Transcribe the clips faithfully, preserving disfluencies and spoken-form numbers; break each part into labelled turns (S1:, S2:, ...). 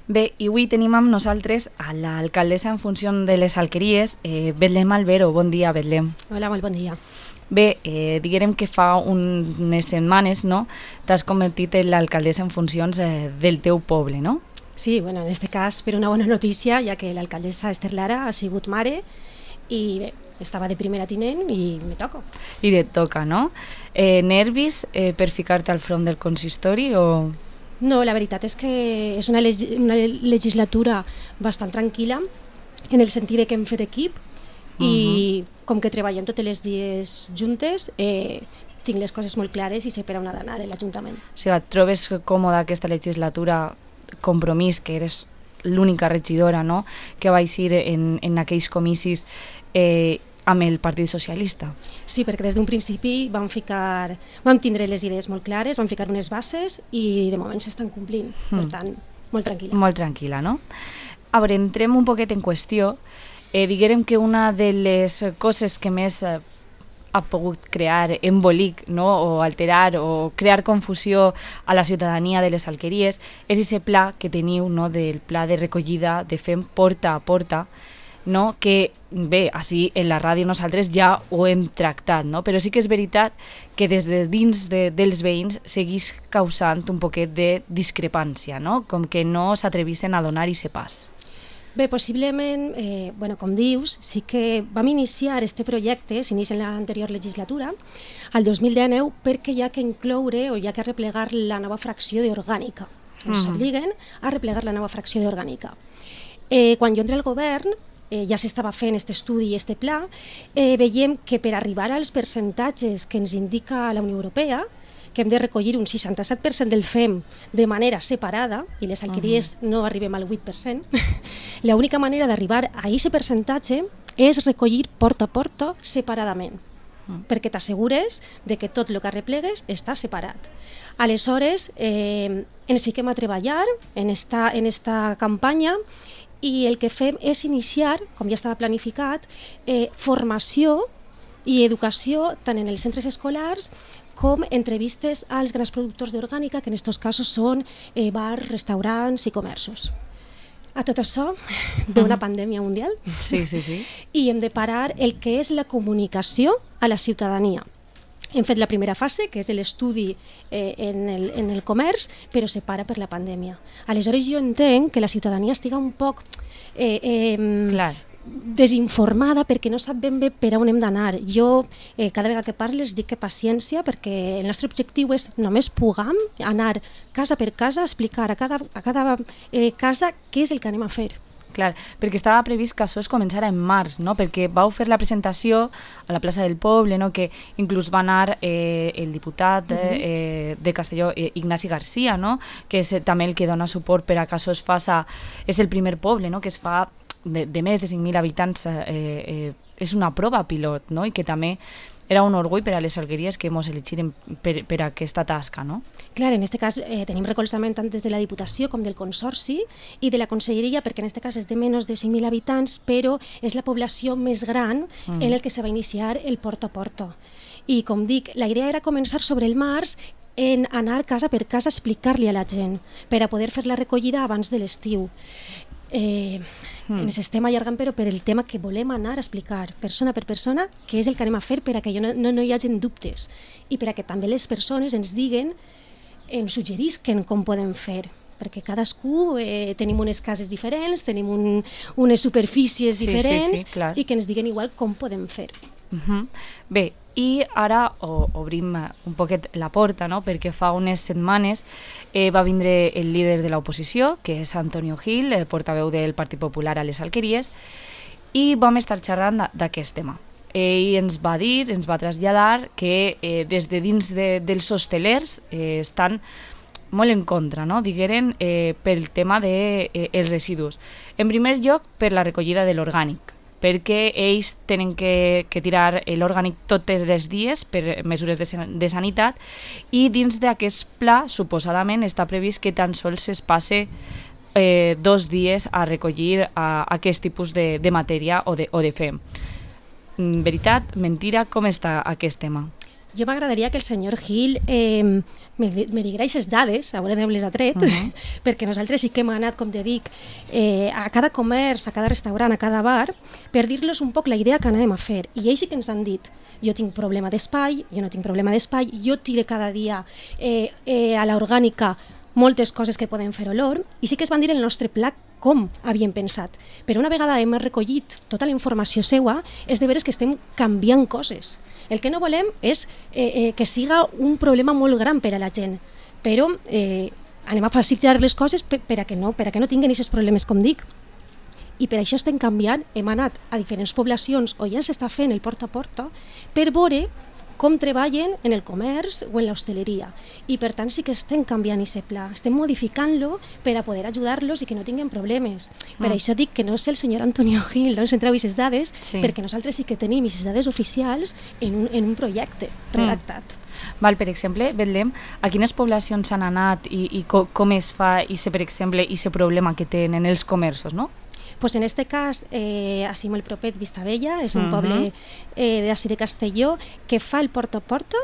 S1: Bé, i avui tenim amb nosaltres a l'alcaldessa en funció de les alqueries, eh, Betlem Albero. Bon dia, Betlem.
S2: Hola, molt bon dia.
S1: Bé, eh, diguem que fa unes setmanes, no?, t'has convertit en l'alcaldessa en funcions eh, del teu poble, no?
S2: Sí, bueno, en este cas per una bona notícia, ja que l'alcaldessa Esther Lara ha sigut mare i bé, estava de primera tinent i me toca.
S1: I et toca, no? Eh, nervis eh, per ficar-te al front del consistori o...?
S2: No, la veritat és que és una, leg una legislatura bastant tranquil·la en el sentit de que hem fet equip i uh-huh. com que treballem totes les dies juntes, eh, tinc les coses molt clares i sé per on ha d'anar l'Ajuntament.
S1: O sigui, et trobes còmoda aquesta legislatura, Compromís, que eres l'única regidora, no?, que va eixir en, en aquells comicis eh, amb el Partit Socialista.
S2: Sí, perquè des d'un principi vam ficar, vam tindre les idees molt clares, vam ficar unes bases i de moment s'estan complint, mm. per tant, molt tranquil·la.
S1: Molt tranquil·la, no? A veure, entrem un poquet en qüestió. Eh, diguem que una de les coses que més eh, ha pogut crear embolic, no?, o alterar o crear confusió a la ciutadania de les alqueries és aquest pla que teniu, no?, del pla de recollida de fem porta a porta, no?, que bé, així en la ràdio nosaltres ja ho hem tractat, no?, però sí que és veritat que des de dins de, dels veïns segueix causant un poquet de discrepància, no?, com que no s'atrevissen a donar aquest pas.
S2: Bé, possiblement, eh, bueno, com dius, sí que vam iniciar este projecte, s'inicia en l'anterior legislatura, al dos mil dinou, perquè hi ha que incloure o hi ha que replegar la nova fracció d'orgànica. Ens mm. obliguen a replegar la nova fracció d'orgànica. Eh, quan jo entré al govern, eh, ja s'estava fent aquest estudi i aquest pla, eh, veiem que per arribar als percentatges que ens indica la Unió Europea, que hem de recollir un seixanta-set per cent del fem de manera separada, i les alqueries uh-huh. no arribem al vuit per cent, l'única manera d'arribar a aquest percentatge és recollir porta a porta separadament, uh-huh. perquè t'assegures de que tot el que arreplegues està separat. Aleshores, eh, ens fiquem a treballar en esta, en esta campanya i el que fem és iniciar, com ja estava planificat, eh, formació i educació tant en els centres escolars com entrevistes als grans productors d'orgànica, que en aquests casos són eh, bars, restaurants i comerços. A tot això ve una pandèmia mundial
S1: sí, sí, sí.
S2: i hem de parar el que és la comunicació a la ciutadania. Hem fet la primera fase, que és l'estudi eh, en, el, en el comerç, però se para per la pandèmia. Aleshores jo entenc que la ciutadania estiga un poc eh, eh,
S1: Clar.
S2: desinformada perquè no sap ben bé per on hem d'anar. Jo eh, cada vegada que parles dic que paciència, perquè el nostre objectiu és només puguem anar casa per casa a explicar a cada, a cada eh, casa què és el que anem a fer.
S1: Clar, perquè estava previst que això es començara en març, no?, perquè vau fer la presentació a la plaça del poble, no?, que inclús va anar eh, el diputat eh, de Castelló, eh, Ignasi Garcia, no?, que és també el que dona suport per a que això es faça, és el primer poble, no?, que es fa de, de més de cinc mil habitants, eh, eh, és una prova pilot, no?, i que també era un orgull per a les alqueries que ens elegiren per, per aquesta tasca, no?
S2: Clar, en aquest cas eh, tenim recolzament tant des de la Diputació com del Consorci i de la Conselleria, perquè en aquest cas és de menys de cinc mil habitants, però és la població més gran mm. en el que se va iniciar el porta a porta. I com dic, la idea era començar sobre el març en anar casa per casa a explicar-li a la gent per a poder fer la recollida abans de l'estiu. Eh, mm. ens estem allargant però per el tema que volem anar a explicar persona per persona què és el que anem a fer per a que no, no, no hi hagi dubtes i per a que també les persones ens diguen, ens suggerisquen com podem fer, perquè cadascú eh, tenim unes cases diferents, tenim un, unes superfícies
S1: sí,
S2: diferents
S1: sí, sí, clar.
S2: I que ens diguen igual com podem fer.
S1: Uh-huh. Bé, i ara o, obrim un poquet la porta, no?, perquè fa unes setmanes eh, va vindre el líder de l'oposició, que és Antonio Gil, el portaveu del Partit Popular a les alqueries, i vam estar xerrant d'aquest tema. Ell ens va dir, ens va traslladar que eh, des de dins de, dels hostelers eh, estan molt en contra, no?, digueren, eh, pel tema dels de, eh, residus. En primer lloc, per la recollida de l'orgànic, perquè ells tenen que, que tirar l'orgànic tots els dies per mesures de, de sanitat i dins d'aquest pla, suposadament, està previst que tan sols es passe eh, dos dies a recollir a, a aquest tipus de, de matèria o de, o de fem. Veritat, mentira, com està aquest tema?
S2: jo m'agradaria que el senyor Gil eh, me, me digués aquestes dades, a veure d'on les ha tret, uh -huh. perquè nosaltres sí que hem anat, com te dic, eh, a cada comerç, a cada restaurant, a cada bar, per dir-los un poc la idea que anem a fer. I ells sí que ens han dit, jo tinc problema d'espai, jo no tinc problema d'espai, jo tire cada dia eh, eh, a l'orgànica moltes coses que poden fer olor, i sí que es van dir el nostre pla com havíem pensat. Però una vegada hem recollit tota la informació seua, és de veres que estem canviant coses. El que no volem és eh, eh, que siga un problema molt gran per a la gent, però eh, anem a facilitar les coses per, per, a que no, per a que no tinguin aquests problemes, com dic. I per això estem canviant, hem anat a diferents poblacions on ja s'està fent el porta a porta per veure com treballen en el comerç o en l'hostaleria. I per tant sí que estem canviant aquest pla, estem modificant-lo per a poder ajudar-los i que no tinguin problemes. Per mm. això dic que no és el senyor Antonio Gil d'on s'entreu aquestes dades, sí. perquè nosaltres sí que tenim aquestes dades oficials en un, en un projecte redactat.
S1: Mm. Val, per exemple, Betlem, a quines poblacions s'han anat i, i co com es fa i per exemple, aquest problema que tenen els comerços, no?
S2: Pues en este cas, eh, així molt propet, Vistabella, és un uh -huh. poble eh, d'ací de Castelló que fa el porta a porta,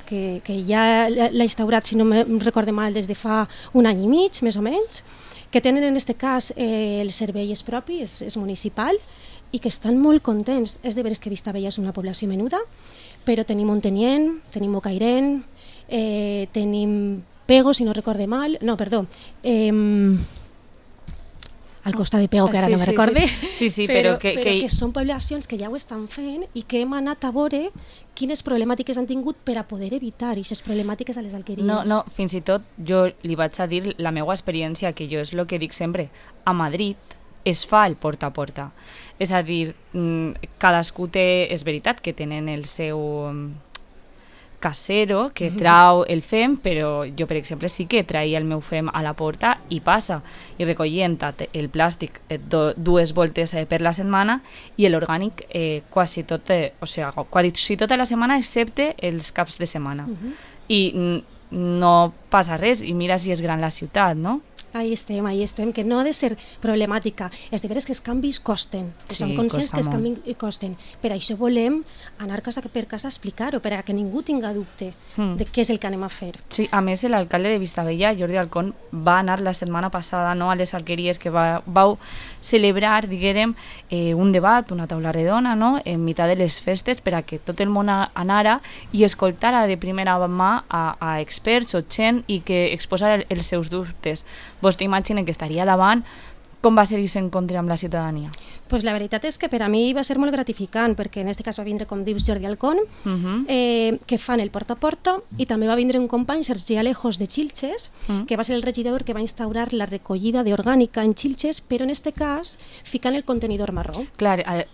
S2: que, que ja l'ha instaurat, si no em recorde mal, des de fa un any i mig, més o menys, que tenen en este cas eh, el servei és propi, és, és municipal, i que estan molt contents. És de veres que Vistabella és una població menuda, però tenim Ontenient, tenim Bocairent, eh, tenim Pego, si no recorde mal, no, perdó, eh, al costat de Pego, que ara sí, no me
S1: sí,
S2: recorde,
S1: sí, sí, sí,
S2: però,
S1: però, que,
S2: però
S1: que...
S2: que són poblacions que ja ho estan fent i que hem anat a veure quines problemàtiques han tingut per a poder evitar aquestes problemàtiques a les alqueries.
S1: No, no, fins i tot jo li vaig a dir la meva experiència, que jo és el que dic sempre, a Madrid es fa el porta a porta, és a dir, cadascú té, és veritat que tenen el seu casero que trau el fem, però jo, per exemple, sí que traia el meu fem a la porta i passa, i recollint el plàstic do, dues voltes eh, per la setmana i l'orgànic eh, quasi tot, eh, o sigui, quasi tota la setmana excepte els caps de setmana. Uh-huh. I no passa res, i mira si és gran la ciutat, no?
S2: Ahí estem, ahí estem, que no ha de ser problemàtica. És de veres que els canvis costen, que
S1: sí,
S2: som conscients que els canvis costen. Per això volem anar casa per casa a explicar-ho, per a que ningú tinga dubte mm. de què és el que anem a fer.
S1: Sí, a més, l'alcalde de Vistabella, Jordi Alcón, va anar la setmana passada, no, a les alqueries, que va, vau celebrar, diguérem, eh, un debat, una taula redona, no?, en mitjà de les festes, per a que tot el món anara i escoltara de primera mà a, a experts o gent i que exposara els seus dubtes. Vostè imagina que estaria davant. Com va ser aquest encontre amb la ciutadania?
S2: Pues la veritat és que per a mi va ser molt gratificant, perquè en aquest cas va vindre, com dius, Jordi Alcón, uh -huh. eh, que fan el porta a porta, i també va vindre un company, Sergi Alejos, de Xilxes, uh -huh. que va ser el regidor que va instaurar la recollida d'orgànica en Xilxes, però en aquest cas ficant el contenidor marró.
S1: Clar, eh,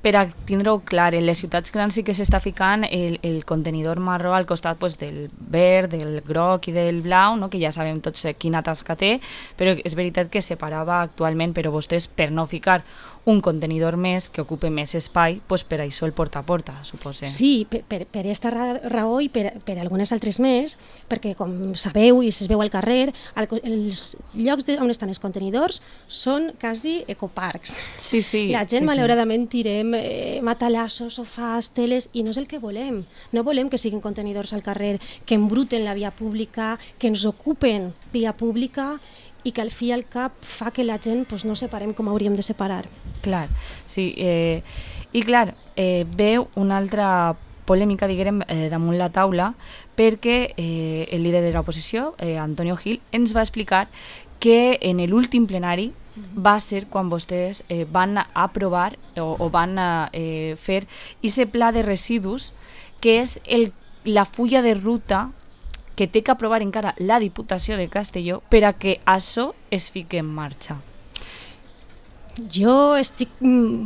S1: per a tindre-ho clar, en les ciutats grans sí que s'està ficant el, el contenidor marró al costat pues, del verd, del groc i del blau, no? Que ja sabem tots quina tasca té, però és veritat que separava actualment, però vostès, per no ficar un contenidor més que ocupe més espai, pues per això el porta a porta, suposo.
S2: Sí, per, per, per aquesta raó i per, per algunes altres més, perquè com sabeu i es veu al carrer, el, els llocs de, on estan els contenidors són quasi ecoparcs.
S1: Sí, sí.
S2: La gent,
S1: sí,
S2: malauradament,
S1: sí.
S2: tirem eh, matalassos, sofàs, teles, i no és el que volem. No volem que siguin contenidors al carrer, que embruten la via pública, que ens ocupen via pública, i que al fi i al cap fa que la gent pues, no separem com hauríem de separar.
S1: Clar, sí. Eh, I clar, eh, veu una altra polèmica, diguem, eh, damunt la taula, perquè eh, el líder de l'oposició, eh, Antonio Gil, ens va explicar que en l'últim plenari va ser quan vostès eh, van aprovar o, o van eh, fer aquest pla de residus, que és el, la fulla de ruta que té que aprovar encara la Diputació de Castelló per a que això es fiqui en marxa.
S2: Jo estic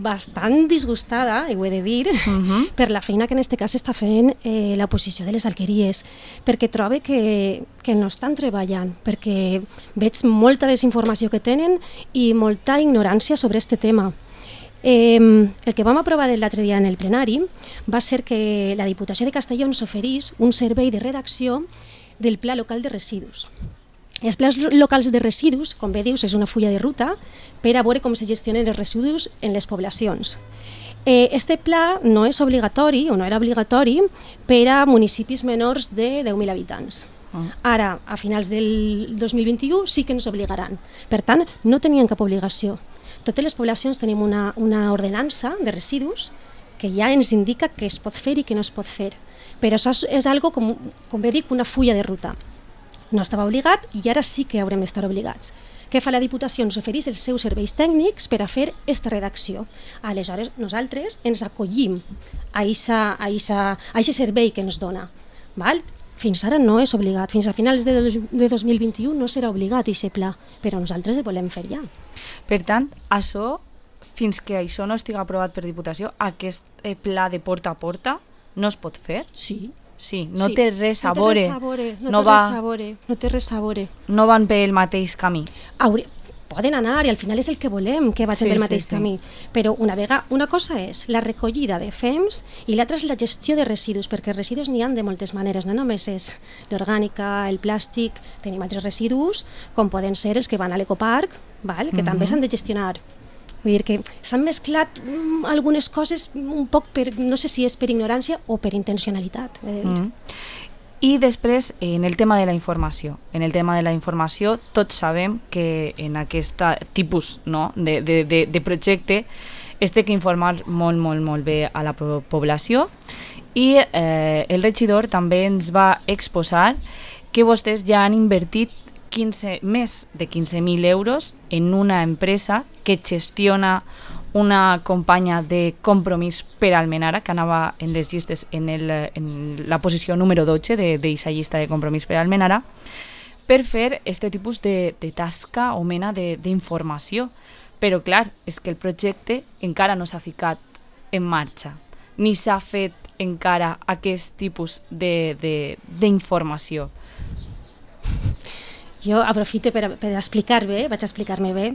S2: bastant disgustada, i ho he de dir, uh-huh. per la feina que en aquest cas està fent eh, l'oposició de les alqueries, perquè trobo que, que no estan treballant, perquè veig molta desinformació que tenen i molta ignorància sobre aquest tema. Eh, el que vam aprovar l'altre dia en el plenari va ser que la Diputació de Castelló ens oferís un servei de redacció del Pla Local de Residus. Els plans locals de residus, com bé dius, és una fulla de ruta per a veure com se gestionen els residus en les poblacions. Eh, este pla no és obligatori, o no era obligatori, per a municipis menors de deu mil habitants. Ara, a finals del dos mil vint-i-u, sí que ens obligaran. Per tant, no tenien cap obligació. Totes les poblacions tenim una, una ordenança de residus que ja ens indica què es pot fer i què no es pot fer. Però això és, és algo, com, com bé dic, una fulla de ruta. No estava obligat i ara sí que haurem d'estar obligats. Què fa la Diputació? Ens ofereix els seus serveis tècnics per a fer aquesta redacció. Aleshores, nosaltres ens acollim a aquest servei que ens dona. Val? Fins ara no és obligat. Fins a finals de, de dos mil vint-i-u no serà obligat aquest pla, però nosaltres el volem fer ja.
S1: Per tant, això, fins que això no estigui aprovat per Diputació, aquest pla de porta a porta no es pot fer?
S2: Sí.
S1: Sí, no
S2: sí.
S1: té res a veure.
S2: No, no, va, no té res a veure.
S1: No van pel mateix camí.
S2: Haure, poden anar i al final és el que volem, que vagin sí, pel mateix sí, sí. camí. Però una vegada, una cosa és la recollida de fems i l'altra és la gestió de residus, perquè residus n'hi ha de moltes maneres, no només és l'orgànica, el plàstic, tenim altres residus, com poden ser els que van a l'ecoparc, val? que mm-hmm. també s'han de gestionar. Vull dir que s'han mesclat mm, algunes coses un poc per, no sé si és per ignorància o per intencionalitat.
S1: Mm. I després, en el tema de la informació. En el tema de la informació, tots sabem que en aquest tipus no, de, de, de, de projecte es té que informar molt, molt, molt bé a la població i eh, el regidor també ens va exposar que vostès ja han invertit quinze, més de quinze mil euros en una empresa que gestiona una campanya de compromís per Almenara, que anava en les llistes en, el, en la posició número dotze d'aquesta llista de compromís per Almenara, per fer aquest tipus de, de tasca o mena d'informació. Però clar, és que el projecte encara no s'ha ficat en marxa, ni s'ha fet encara aquest tipus d'informació.
S2: Jo aprofito per, per explicar bé, vaig a explicar-me bé.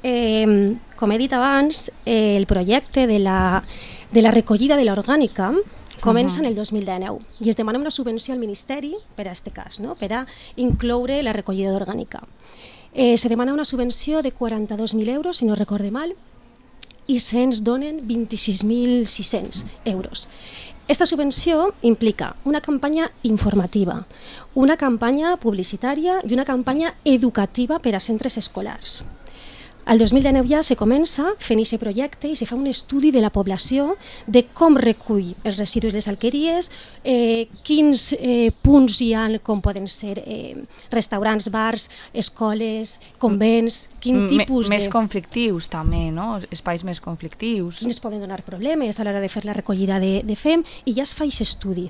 S2: Eh, com he dit abans, eh, el projecte de la, de la recollida de l'orgànica comença uh-huh. en el dos mil dinou i es demana una subvenció al Ministeri per a aquest cas, no? per a incloure la recollida d'orgànica. Eh, se demana una subvenció de quaranta-dos mil euros, si no recorde mal, i se'ns donen vint-i-sis mil sis-cents euros. Esta subvenció implica una campanya informativa, una campanya publicitària i una campanya educativa per a centres escolars. El dos mil dinou ja se comença fent aquest projecte i se fa un estudi de la població de com recull els residus les alqueries, eh, quins eh, punts hi ha, com poden ser eh, restaurants, bars, escoles, convents, quin tipus
S1: de... Més conflictius també, no? Espais més conflictius.
S2: Quins poden donar problemes a l'hora de fer la recollida de, de fem i ja es fa aquest estudi,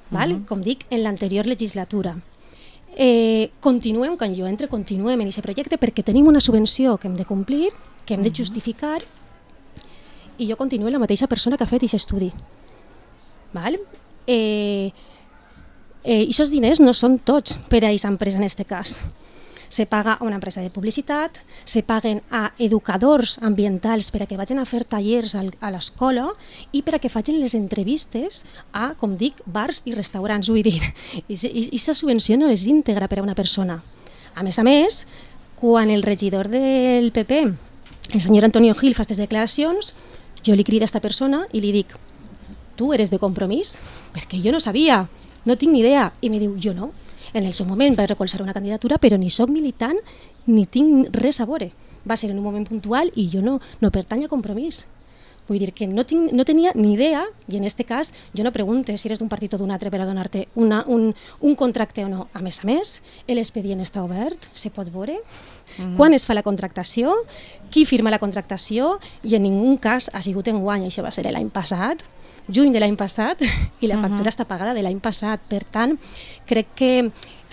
S2: val? Uh-huh. Com dic, en l'anterior legislatura. Eh, continuem, quan jo entre, continuem en aquest projecte perquè tenim una subvenció que hem de complir, que hem de justificar i jo continuo la mateixa persona que ha fet aquest estudi. Val? Eh, eh, aquests diners no són tots per a aquesta empresa en aquest cas. Se paga a una empresa de publicitat, se paguen a educadors ambientals per a que vagin a fer tallers a l'escola i per a que facin les entrevistes a, com dic, bars i restaurants. Vull dir, aquesta subvenció no és íntegra per a una persona. A més a més, quan el regidor del P P, el senyor Antonio Gil, fa aquestes declaracions, jo li crido a aquesta persona i li dic: tu eres de Compromís? Perquè jo no sabia, no tinc ni idea. I me diu: jo no. En el seu moment vaig recolzar una candidatura, però ni soc militant ni tinc res a veure. Va ser en un moment puntual i jo no, no pertany a Compromís. Vull dir que no, tinc, no tenia ni idea, i en aquest cas jo no pregunto si eres d'un partit o d'un altre per a donar-te una, un, un contracte o no. A més a més, l'expedient està obert, se pot veure, mm-hmm. quan es fa la contractació, qui firma la contractació, i en ningú cas ha sigut enguany, això va ser l'any passat, juny de l'any passat, i la factura uh-huh. està pagada de l'any passat. Per tant, crec que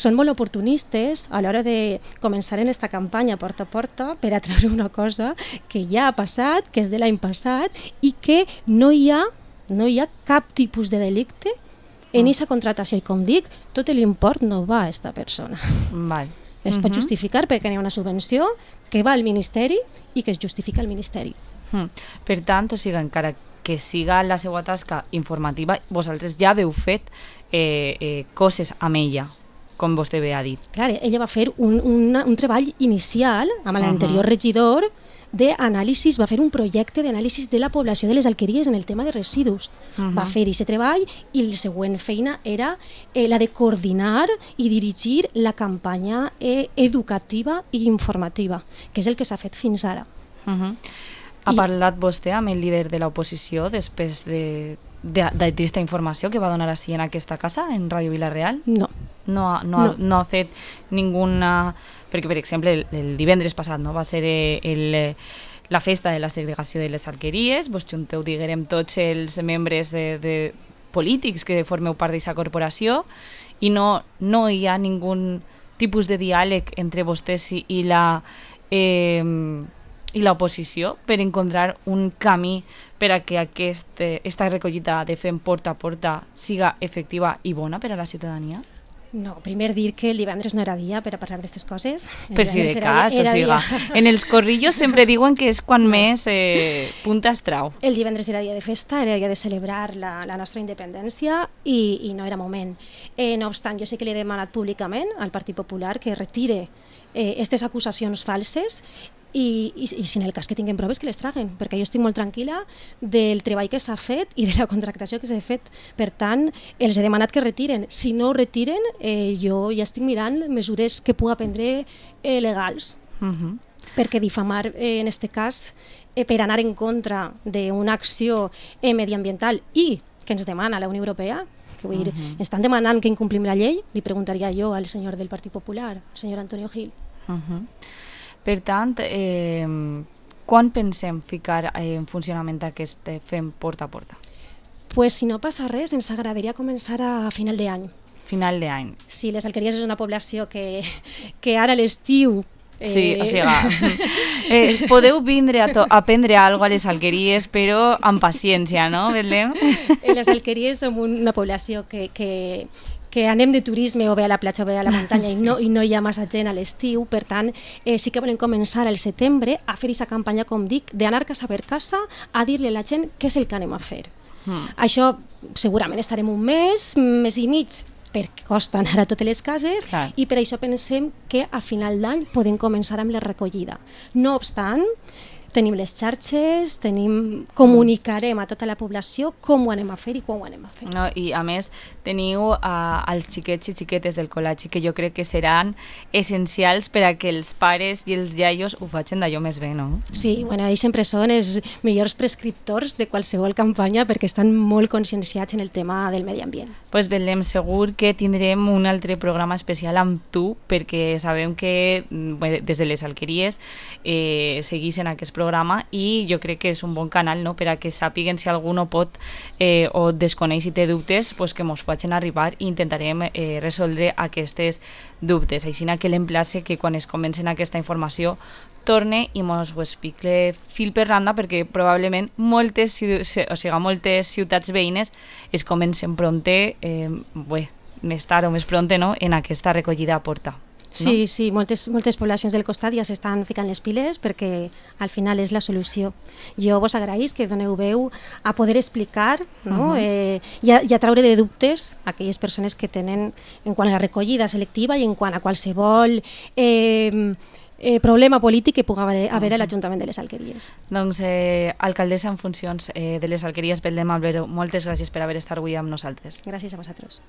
S2: són molt oportunistes a l'hora de començar en aquesta campanya porta a porta per a treure una cosa que ja ha passat, que és de l'any passat, i que no hi ha, no hi ha cap tipus de delicte en aquesta uh-huh. contractació. I com dic, tot l'import no va a aquesta persona.
S1: Val.
S2: Es uh-huh. pot justificar perquè hi ha una subvenció que va al Ministeri i que es justifica al Ministeri.
S1: Uh-huh. Per tant, o sigui, encara que siga la seva tasca informativa, vosaltres ja haveu fet eh, eh, coses amb ella, com vostè bé ha dit.
S2: Clar, ella va fer un, un, un treball inicial amb l'anterior uh-huh. regidor, d'anàlisis, va fer un projecte d'anàlisis de la població de les alqueries en el tema de residus. Uh-huh. Va fer aquest treball i la següent feina era eh, la de coordinar i dirigir la campanya eh, educativa i informativa, que és el que s'ha fet fins ara.
S1: Uh-huh. Ha parlat vostè amb el líder de l'oposició després de, de, d'aquesta informació que va donar així en aquesta casa, en Ràdio Vila-real?
S2: No.
S1: No, no, no. no ha fet ninguna... Perquè, per exemple, el, el divendres passat no va ser el, la festa de la segregació de les alqueries, vos junteu, diguem, tots els membres de, de polítics que formeu part d'aquesta corporació i no, no hi ha ningú tipus de diàleg entre vostès i, i la... Eh, i l'oposició per encontrar un camí per a que aquesta recollida de fem porta a porta siga efectiva i bona per a la ciutadania?
S2: No, primer dir que el divendres no era dia per a parlar d'aquestes coses.
S1: Per si de cas, o sigui, en els corrillos sempre diuen que és quan més eh, punta es trau.
S2: El divendres era dia de festa, era dia de celebrar la, la nostra independència i, i no era moment. Eh, no obstant, jo sé que li he demanat públicament al Partit Popular que retire aquestes eh, acusacions falses I, i, i si en el cas que tinguem proves que les traguen, perquè jo estic molt tranquil·la del treball que s'ha fet i de la contractació que s'ha fet. Per tant, els he demanat que retiren. Si no ho retiren, eh, jo ja estic mirant mesures que puga prendre eh, legals. Uh-huh. Perquè difamar, eh, en aquest cas, eh, per anar en contra d'una acció eh, mediambiental i que ens demana la Unió Europea, que vull dir, uh-huh. estan demanant que incomplim la llei, li preguntaria jo al senyor del Partit Popular, el senyor Antonio Gil.
S1: Uh-huh. Per tant, eh, quan pensem ficar en funcionament aquest fem porta a porta?
S2: Pues si no passa res, ens agradaria començar a final d'any.
S1: Final d'any.
S2: Sí, les alqueries és una població que, que ara a l'estiu...
S1: Eh... Sí, o sigui, eh, podeu vindre a, to- a aprendre alguna cosa a les alqueries, però amb paciència, no, Betlem?
S2: Les alqueries som una població que... que que anem de turisme o bé a la platja o bé a la muntanya sí. i, no, i no hi ha massa gent a l'estiu, per tant eh, sí que volem començar al setembre a fer aquesta campanya, com dic, d'anar casa per casa a dir-li a la gent què és el que anem a fer. Mm. Això segurament estarem un mes, mes i mig, perquè costen ara totes les cases. Clar. I per això pensem que a final d'any podem començar amb la recollida. No obstant, tenim les xarxes, tenim, comunicarem a tota la població com ho anem a fer i quan ho anem a fer.
S1: No, i a més teniu uh, els xiquets i xiquetes del col·legi que jo crec que seran essencials per a que els pares i els iaios ho facin d'allò més bé, no?
S2: Sí, bueno, ells sempre són els millors prescriptors de qualsevol campanya perquè estan molt conscienciats en el tema del medi ambient.
S1: Pues Betlem, segur que tindrem un altre programa especial amb tu perquè sabem que bé, des de les alqueries eh, segueixen aquest programa i jo crec que és un bon canal, no?, per a que sàpiguen si algú no pot eh, o desconeix i té dubtes, pues que mos facin arribar i intentarem eh, resoldre aquestes dubtes. Així que l'emplace que quan es comencen aquesta informació torne i mos ho explique fil per randa perquè probablement moltes, o sigui, moltes ciutats veïnes es comencen pronte, eh, bé, més tard o més pronte, no?, en aquesta recollida a porta.
S2: Sí,
S1: no?
S2: sí, moltes, moltes poblacions del costat ja s'estan ficant les piles perquè al final és la solució. Jo vos agraïs que doneu veu a poder explicar, no? uh-huh. eh, i, a, i a traure de dubtes a aquelles persones que tenen en quant a la recollida selectiva i en quant a qualsevol eh, eh, problema polític que pugui haver, haver a l'Ajuntament de les Alqueries.
S1: Doncs, eh, alcaldessa en funcions eh, de les Alqueries, Betlem Albero, moltes gràcies per haver estat avui amb nosaltres.
S2: Gràcies a vosaltres.